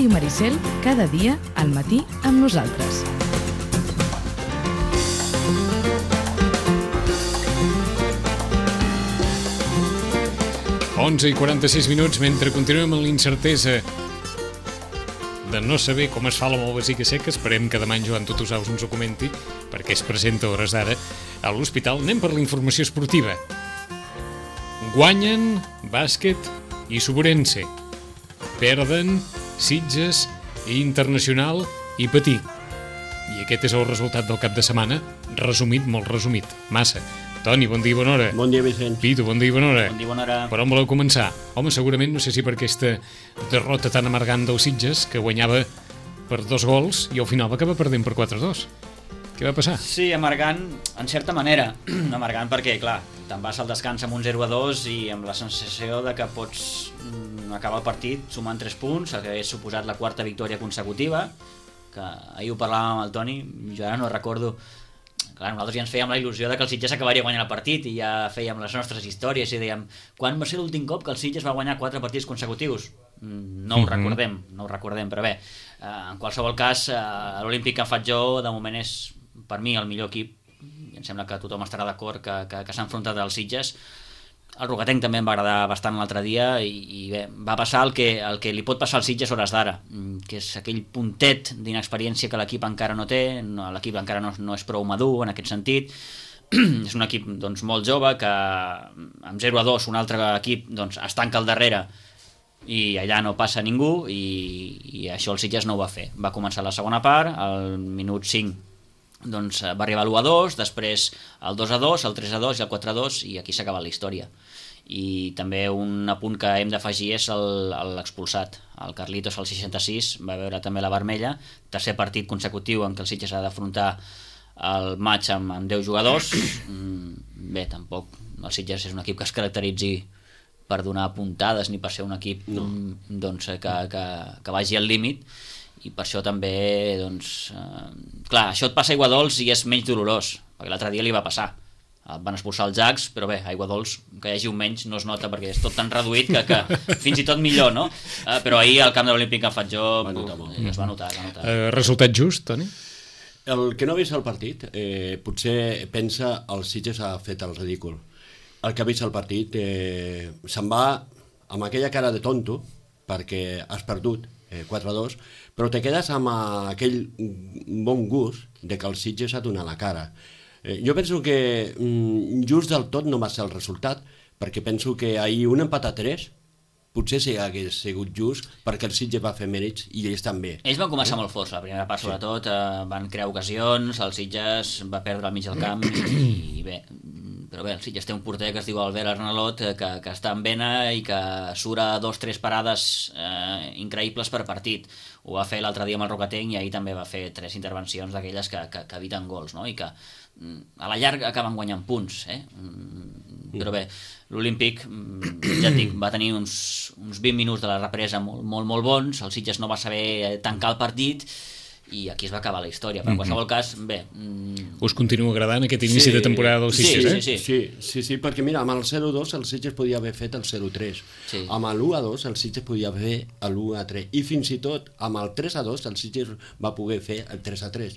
Ràdio Maricel, cada dia al matí amb nosaltres. Onze i 46 minuts, mentre continuem amb l'incertesa de no saber com es fa la malvasica seca. Esperem que demà en Joan Tutusaus ens ho comenti, perquè es presenta a hores d'ara a l'hospital. Anem per la informació esportiva. Guanyen bàsquet i Suburense. Perden Sitges i Internacional i Patí. I aquest és el resultat del cap de setmana, resumit, molt resumit, massa. Toni, bon dia i bona hora. Bon dia, Vicent. Pitu, bon dia i bona hora. Bon dia i bona hora. Per on voleu començar? Home, segurament, no sé si per aquesta derrota tan amargant del Sitges, que guanyava per 2 gols i al final va acabar perdent per 4-2. Què va passar? Sí, amargant, en certa manera. Amargant perquè, clar, te'n vas al descans amb un 0-2 i amb la sensació de que pots acabar el partit sumant 3 punts, que hagués suposat la 4ª victòria consecutiva, que ahir ho parlàvem amb el Toni, jo ara no recordo. Clar, nosaltres ja ens fèiem la il·lusió de que el Sitges acabaria guanyant el partit i ja fèiem les nostres històries i dèiem, quan va ser l'últim cop que el Sitges va guanyar 4 partits consecutius? No ho recordem, però bé, en qualsevol cas, l'Olímpic que em faig jo, de moment és, per mi, el millor equip, i em sembla que tothom estarà d'acord que s'ha enfrontat al Sitges. El Rocatenc també em va agradar bastant l'altre dia i bé, va passar el que li pot passar al Sitges a hores d'ara, que és aquell puntet d'inexperiència que l'equip encara no té, l'equip encara no és prou madur en aquest sentit. És un equip doncs, molt jove que amb 0-2 un altre equip doncs, es tanca al darrere i allà no passa ningú i això el Sitges no ho va fer. Va començar la segona part, al minut 5 doncs va arribar l'1-2, després el 2-2, el 3-2 i el 4-2 i aquí s'ha acabat la història. I també un apunt que hem d'afegir és l'expulsat. El Carlitos al 66 va veure també la vermella, tercer partit consecutiu en què el Sitges ha d'afrontar el match amb 10 jugadors. Bé, tampoc el Sitges és un equip que es caracteritzi per donar puntades ni per ser un equip doncs, que vagi al límit, i per això també doncs, clar, això et passa a Aiguadols i és menys dolorós, perquè l'altre dia li va passar, van expulsar els Jacs, però bé, a Aiguadols que hi hagi un menys no es nota perquè és tot tan reduït que fins i tot millor, no? Però ahir al camp de l'Olímpic que em faig jo es va notar. Resultat just, Toni? El que no ha vist el partit potser pensa el Sitges ha fet el ridícul. El que ha vist el partit se'n va amb aquella cara de tonto perquè has perdut 4-2, però te quedes amb aquell bon gust de que el Sitges ha donat la cara. Jo penso que just del tot no va ser el resultat, perquè penso que ahir un empat a 3 potser sí hagués sigut just perquè el Sitges va fer mèrits i ells també. Ells van començar molt forts, la primera part sobretot, van crear ocasions, el Sitges va perdre al mig del camp i bé, però bé, el Sitges té un porter que es diu Albert Arnalot que està en vena i que surt a 2-3 parades increïbles per partit. Ho va fer l'altre dia amb el Rocatenc i ahir també va fer 3 intervencions d'aquelles que eviten gols, no? I que a la llarga acaben guanyant punts, però bé, l'Olímpic, ja et dic, va tenir uns 20 minuts de la represa molt bons, el Sitges no va saber tancar el partit i aquí es va acabar la història, però en qualsevol cas, bé... Us continua agradant aquest inici de temporada del Sitges, Sí, perquè mira, amb el 0-2 el Sitges podia haver fet el 0-3, amb l'1-2 el Sitges podia fer l'1-3 i fins i tot amb el 3-2 el Sitges va poder fer el 3-3.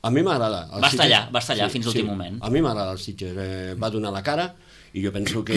A mi m'agrada. Va estar allà fins l'últim moment. A mi m'agrada el Sitges, va donar la cara i jo penso que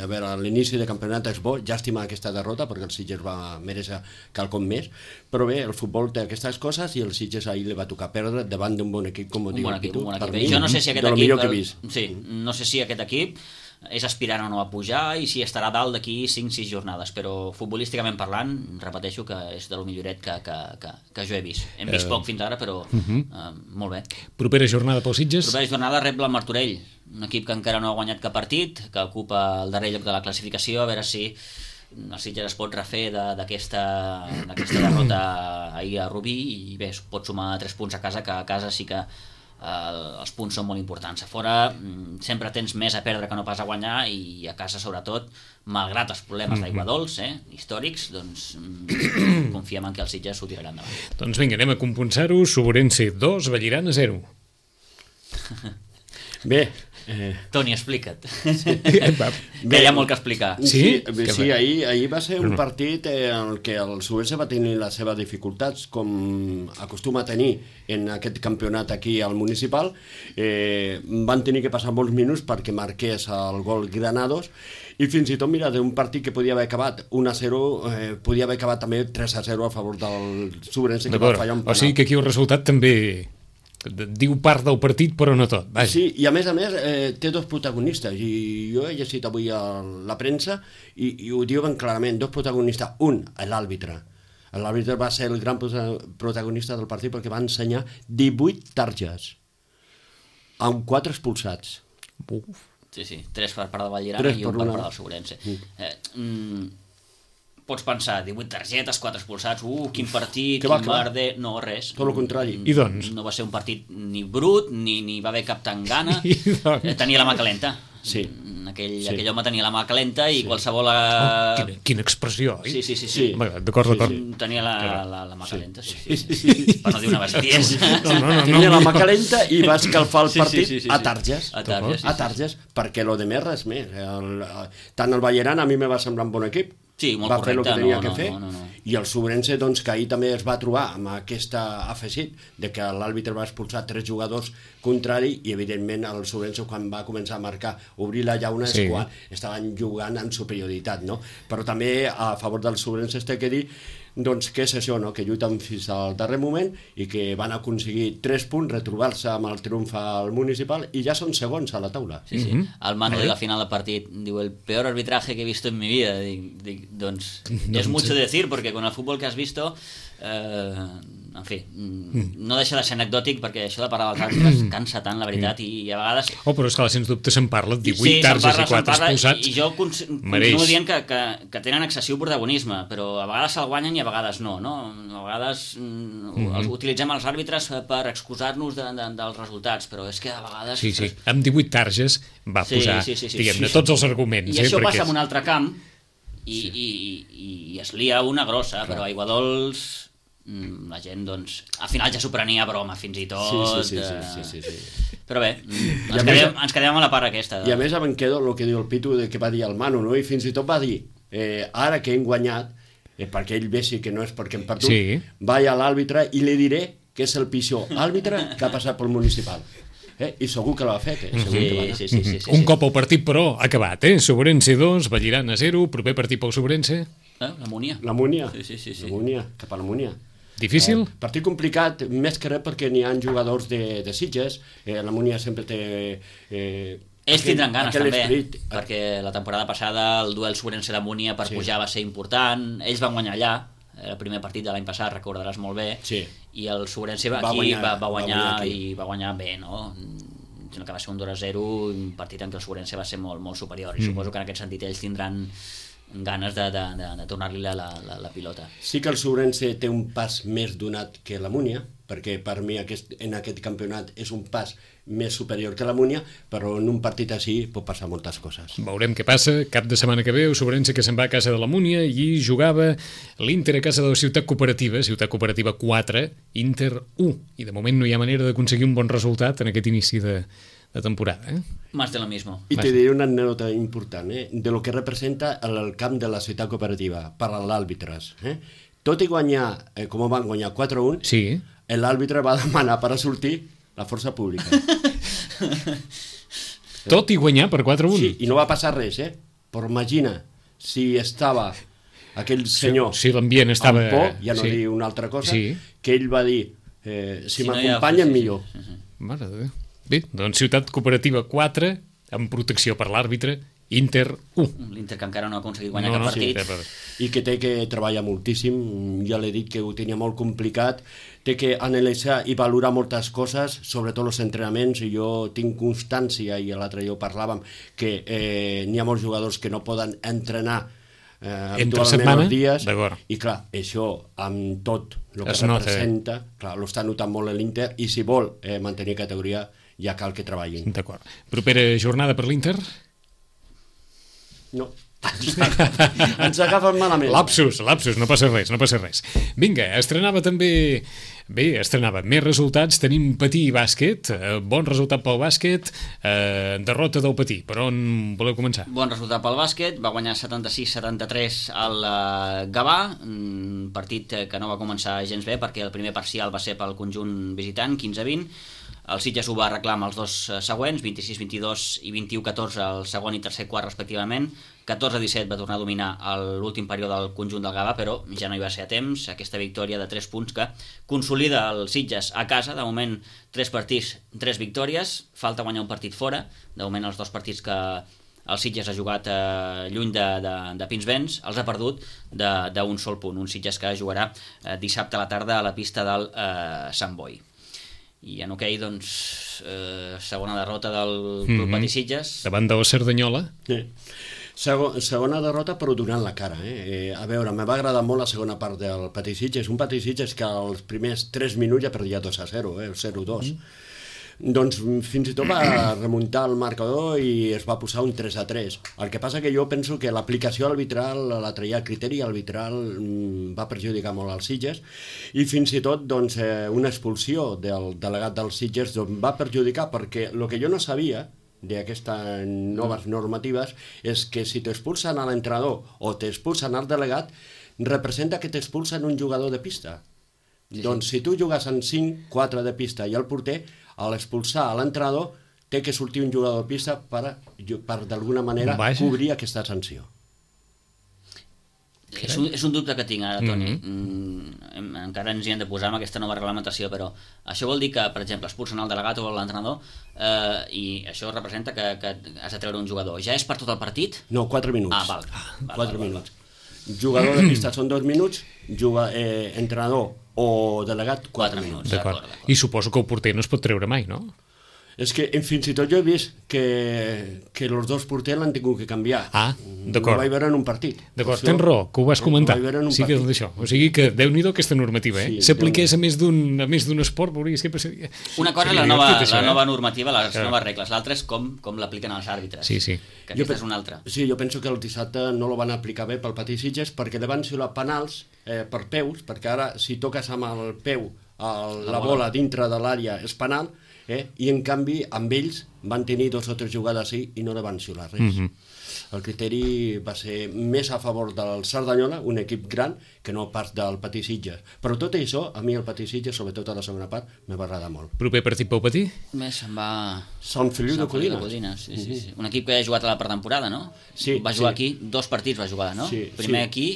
a veure, l'inici de campionat és bo, llàstima aquesta derrota perquè el Sitges va mereixer quelcom més, però bé, el futbol té aquestes coses i el Sitges ahir li va tocar perdre davant d'un bon equip, com ho diu el Pitu. Jo no sé si aquest equip és aspirant o no a pujar i si estarà dalt d'aquí 5-6 jornades, però futbolísticament parlant, repeteixo que és de lo milloret que jo he vist. Hem vist poc fins ara, però molt bé. Propera jornada pel Sitges? Propera jornada rep el Martorell, un equip que encara no ha guanyat cap partit, que ocupa el darrer lloc de la classificació, a veure si el Sitges es pot refer d'aquesta derrota ahir a Rubí i bé, es pot sumar 3 punts a casa, que a casa sí que els punts són molt importants. A fora sempre tens més a perdre que no pas a guanyar i a casa sobretot, malgrat els problemes d'Aiguadols històrics, doncs confiem en que el Sitges s'ho tirarà endavant. Doncs vinga, anem a compensar-ho. Suburense 2, Vallirana 0. Bé, Toni, explica't. Va. Que hi ha molt que explicar. Sí? Sí, ahir va ser un partit en què el Subense va tenir les seves dificultats, com acostuma a tenir en aquest campionat aquí al municipal. Van tenir que passar molts minuts perquè marqués el gol Granados, i fins i tot, mira, d'un partit que podia haver acabat 1-0, podia haver acabat també 3-0 a favor del Subense, que va fallar un penal. O sigui que aquí el resultat també diu part del partit, però no tot. Vaja. Sí, i a més, té dos protagonistes, i jo he llegit avui a la premsa i ho diuen clarament, dos protagonistes. Un, l'àrbitre. L'àrbitre va ser el gran protagonista del partit perquè va ensenyar 18 targes, amb 4 expulsats. Uf. Sí, 3 per part de Vallirana i 1 per part del Sobrense. Pots pensar, 18 targetes, 4 expulsats, quin partit, quin merder... No, res. Tot el contrari. I doncs? No va ser un partit ni brut, ni va haver cap tangana. Tenia la mà calenta. Sí. Aquell home tenia la mà calenta i qualsevol... Quina expressió, oi? Sí. D'acord. Tenia la mà calenta, sí. Per no dir una bestiesa. Tenia la mà calenta i va escalfar el partit a targes. A targes, perquè lo de més res més. Tant el Balleran a mi me va semblar un bon equip. Sí, molt va fer el que tenia que fer, no. I el Sobrense, doncs, que ahir també es va trobar amb aquest afegit de que l'àrbitre va expulsar 3 jugadors contrari, i evidentment el Sobrense, quan va començar a marcar, obrir la llauna, és quan estaven jugant en superioritat, no? Però també a favor del Sobrense es té que dir doncs què és això, no? Que lluiten fins al darrer moment i que van aconseguir 3 punts, retrobar-se amb el triomf al municipal, i ja són segons a la taula. Sí. El Manu de la final del partit diu, el peor arbitraje que he visto en mi vida. Dic, doncs, es mucho decir, porque con el fútbol que has visto, en fi, no deixa de ser anecdòtic, perquè això de parlar dels àrbitres cansa tant, la veritat, i a vegades... Però és que sens dubte se'n parla, 18 targes i 4 expulsats. I jo continuo dient que tenen excessiu protagonisme, però a vegades se'l guanyen i a vegades no? A vegades utilitzem els àrbitres per excusar-nos dels resultats, però és que a vegades... Sí, amb 18 targes va posar, diguem-ne, tots els arguments. I això passa en un altre camp i es lia una grossa, però a Aiguadols la gent, doncs, al final ja s'ho prenia a broma, fins i tot. Sí. Però bé, ens quedem a la part aquesta. I a més em quedo el que diu el Pitu, que va dir el Manu, no? I fins i tot va dir, ara que hem guanyat, perquè ell vegi que no és perquè hem perdut, vaig a l'àrbitre i li diré que és el pitjor àrbitre que ha passat pel municipal. I segur que l'ha fet. Sí. Un cop el partit, però, ha acabat. Sobrense 2, Vallirana 0, proper partit pel Sobrense. La Múnia. Sí. La Múnia, cap a la Múnia. Difícil? Partit complicat, més que res perquè n'hi ha jugadors de Sitges. La Múnia sempre té... Ells tindran ganes també, perquè la temporada passada el duel Sobrense de Múnia per pujar va ser important. Ells van guanyar allà, el primer partit de l'any passat, recordaràs molt bé, i el Sobrense va guanyar bé, no? Que va ser un 2-0, un partit en què el Sobrense va ser molt superior, i suposo que en aquest sentit ells tindran ganes de tornar-li la pilota. Sí que el Sobrense té un pas més donat que la Múnia, perquè per mi en aquest campionat és un pas més superior que la Múnia, però en un partit així pot passar moltes coses. Veurem què passa. Cap de setmana que ve, el Sobrense que se'n va a casa de la Múnia, i jugava l'Inter a casa de la Ciutat Cooperativa 4, Inter 1, i de moment no hi ha manera d'aconseguir un bon resultat en aquest inici de temporada. Más de lo mismo. I te diré una anècdota important, de lo que representa el camp de la Ciutat Cooperativa per als àrbitres. Tot i guanyar, com van guanyar 4-1, l'àrbitre va demanar per a sortir la força pública. Tot i guanyar per 4-1? Sí, i no va passar res, però imagina si estava aquell senyor si l'ambient estava... amb por, ja no diu una altra cosa, que ell va dir, si m'acompanyen millor. Mare de Déu. Bé, doncs Ciutat Cooperativa 4, amb protecció per l'àrbitre, Inter 1. L'Inter que encara no ha aconseguit guanyar cap partit. I que té que treballar moltíssim, ja l'he dit que ho tenia molt complicat, té que analitzar i valorar moltes coses, sobretot els entrenaments, i jo tinc constància, i l'altre dia ho parlàvem, que n'hi ha molts jugadors que no poden entrenar habitualment els dies, i clar, això amb tot el que representa, clar, ho està notant molt l'Inter, i si vol mantenir categoria ja cal que treballin. D'acord. Propera jornada per l'Inter? No. ens agafen malament. Lapsus, no passa res. Vinga, estrenava més resultats. Tenim Patí i bàsquet, bon resultat pel bàsquet, derrota del Patí. Per on voleu començar? Bon resultat pel bàsquet, va guanyar 76-73 al Gavà, un partit que no va començar gens bé perquè el primer parcial va ser pel conjunt visitant, 15-20. El Sitges ho va arreglar amb els dos següents, 26-22 i 21-14 el segon i tercer quart respectivament. 14-17 va tornar a dominar l'últim període del conjunt del Gavà, però ja no hi va ser a temps. Aquesta victòria de 3 punts que consolida el Sitges a casa. De moment 3 partits, 3 victòries, falta guanyar un partit fora. De moment els 2 partits que el Sitges ha jugat lluny de Pinsbens els ha perdut d'un sol punt. Un Sitges que jugarà dissabte a la tarda a la pista del Sant Boi. I en hoquei, doncs, segona derrota del Club Patí Sitges. Davant del Cerdanyola. Sí. Segona derrota, però donant la cara. A veure, me va agradar molt la segona part del Patí Sitges. Un Patí Sitges que als primers 3 minuts ja perdia 2-0, 0-2. Doncs fins i tot va remuntar el marcador i es va posar un 3-3. El que passa que jo penso que l'aplicació arbitral, la traia a criteri arbitral, va perjudicar molt als Sitges i fins i tot doncs, una expulsió del delegat dels Sitges va perjudicar perquè el que jo no sabia d'aquestes noves normatives és que si t'expulsen a l'entrenador o t'expulsen al delegat, representa que t'expulsen un jugador de pista. Sí. Doncs si tu jugues en 5, 4 de pista i el porter, a l'expulsar a l'entrenador té que sortir un jugador de pista per d'alguna manera cobrir aquesta sanció. És un dubte que tinc ara, Toni. Encara ens hi hem de posar amb aquesta nova reglamentació, però això vol dir que, per exemple, expulsen el delegat o l'entrenador i això representa que has de treure un jugador. Ja és per tot el partit? No, 4 minuts. Ah, val. 4 minuts. Jugador de pista són 2 minuts, entrenador o delegat 4 minuts. D'acord. I suposo que el porter no es pot treure mai, no? És que fins i tot jo he vist que els 2 porters l'han tingut que canviar. Ah, d'acord. Ho vaig veure en un partit. D'acord, tens raó, que ho vas comentar. Sí que és d'això. O sigui que Déu-n'hi-do aquesta normativa, eh? Si apliqués a més d'un esport, veuries que passaria. Una cosa és la nova normativa, les noves regles. L'altra és com l'apliquen els àrbitres. Sí. Que aquesta és una altra. Sí, jo penso que el dissabte no lo van aplicar bé pel Patí Sitges perquè li van xiular penals per peus, perquè ara si toques amb el peu la bola dintre de l'àrea és penal, i en canvi amb ells van tenir 2 o 3 jugades i no li van xiular res. El criteri va ser més a favor del Cerdanyola, un equip gran, que no pas del Patí Sitges. Però tot això, a mi el Patí Sitges, sobretot a la segona part, me va agradar molt. Proper partit pel Patí? Se'n va... Sant Feliu de Codines. Sí. Un equip que ha jugat a la pretemporada, no? Sí. Va jugar aquí, 2 partits va jugar, no? Primer aquí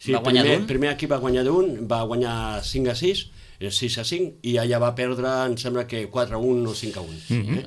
va guanyar d'un. Primer aquí va guanyar d'un, va guanyar 5-6, 6-5, i allà va perdre, em sembla que 4-1 o 5-1.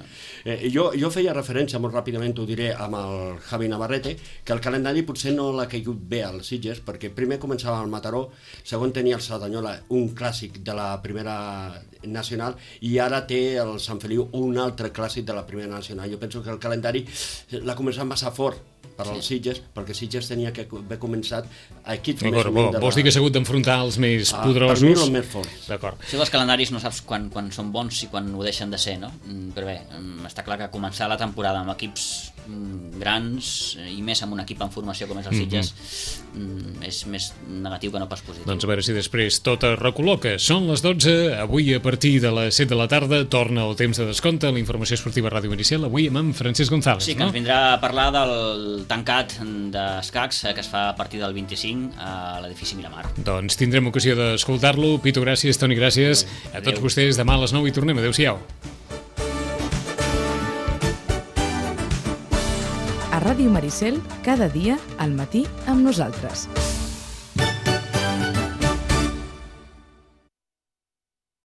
Jo feia referència, molt ràpidament ho diré, amb el Javi Navarrete, que el calendari potser no l'ha caigut bé als Sitges, perquè primer començava el Mataró, segon tenia el Cerdanyola, un clàssic de la primera nacional, i ara té el Sant Feliu un altre clàssic de la primera nacional. Jo penso que el calendari l'ha començat massa fort per als Sitges, perquè Sitges tenia que haver començat a equips més o menys... Vols dir que s'ha hagut d'enfrontar els més poderosos? Per mi els més forts. D'acord. Això dels calendaris no saps quan són bons i quan ho deixen de ser, no? Però bé, està clar que començar la temporada amb equips grans i més amb un equip en formació com és el Sitges és més negatiu que no pas positiu. Doncs a veure si després tot es recol·loca. Són les 12, avui a partir de les 7 de la tarda torna el temps de descompte, la informació esportiva a Ràdio Inicial, avui amb en Francesc González. Sí, que ens vindrà a parlar del tancat d'escacs que es fa a partir del 25 a l'edifici Miramar. Doncs tindrem ocasió d'escoltar-lo. Pito, gràcies. Toni, gràcies. A tots vostès, demà a les 9 i tornem. Adéu-siau. A Ràdio Maricel, cada dia al matí amb nosaltres.